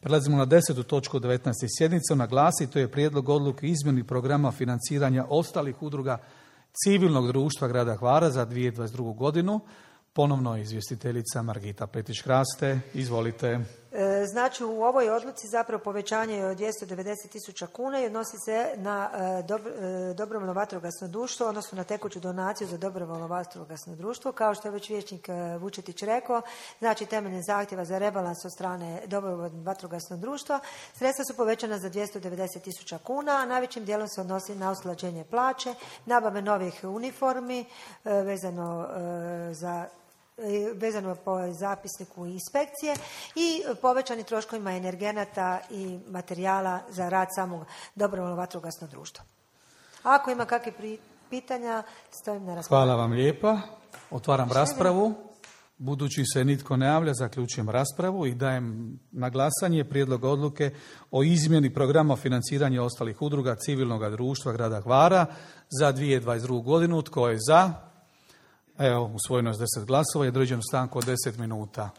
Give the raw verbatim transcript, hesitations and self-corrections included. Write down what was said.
Prelazimo na desetu točku devetnaeste sjednice. Naglasi, to je prijedlog odluke izmjeni programa financiranja ostalih udruga civilnog društva grada Hvara za dvije tisuće dvadeset drugu godinu. Ponovno izvjestiteljica Margita Petrić-Kraste. Izvolite. Znači, u ovoj odluci zapravo povećanje je od dvjesto devedeset tisuća kuna i odnosi se na dobrovoljno vatrogasno društvo, odnosno na tekuću donaciju za dobrovoljno vatrogasno društvo. Kao što je već vijećnik Vučetić rekao, znači temeljem zahtjeva za rebalans od strane dobrovoljnog vatrogasnog društva, sredstva su povećana za dvjesto devedeset tisuća kuna, a najvećim dijelom se odnosi na usklađenje plaće, nabave novih uniformi vezano za vezano po zapisniku inspekcije i povećani troškovima energenata i materijala za rad samog dobrovoljnog vatrogasnog društva. Ako ima kakvih pitanja, stojim na raspolaganju. Hvala vam lijepa. Otvaram raspravu. Budući se nitko ne javlja, zaključujem raspravu i dajem na glasanje prijedlog odluke o izmjeni programa financiranja ostalih udruga civilnog društva grada Hvara za dvije tisuće dvadeset drugu godinu. Tko je za? Evo, usvojeno je s deset glasova i određujem stanku od deset minuta.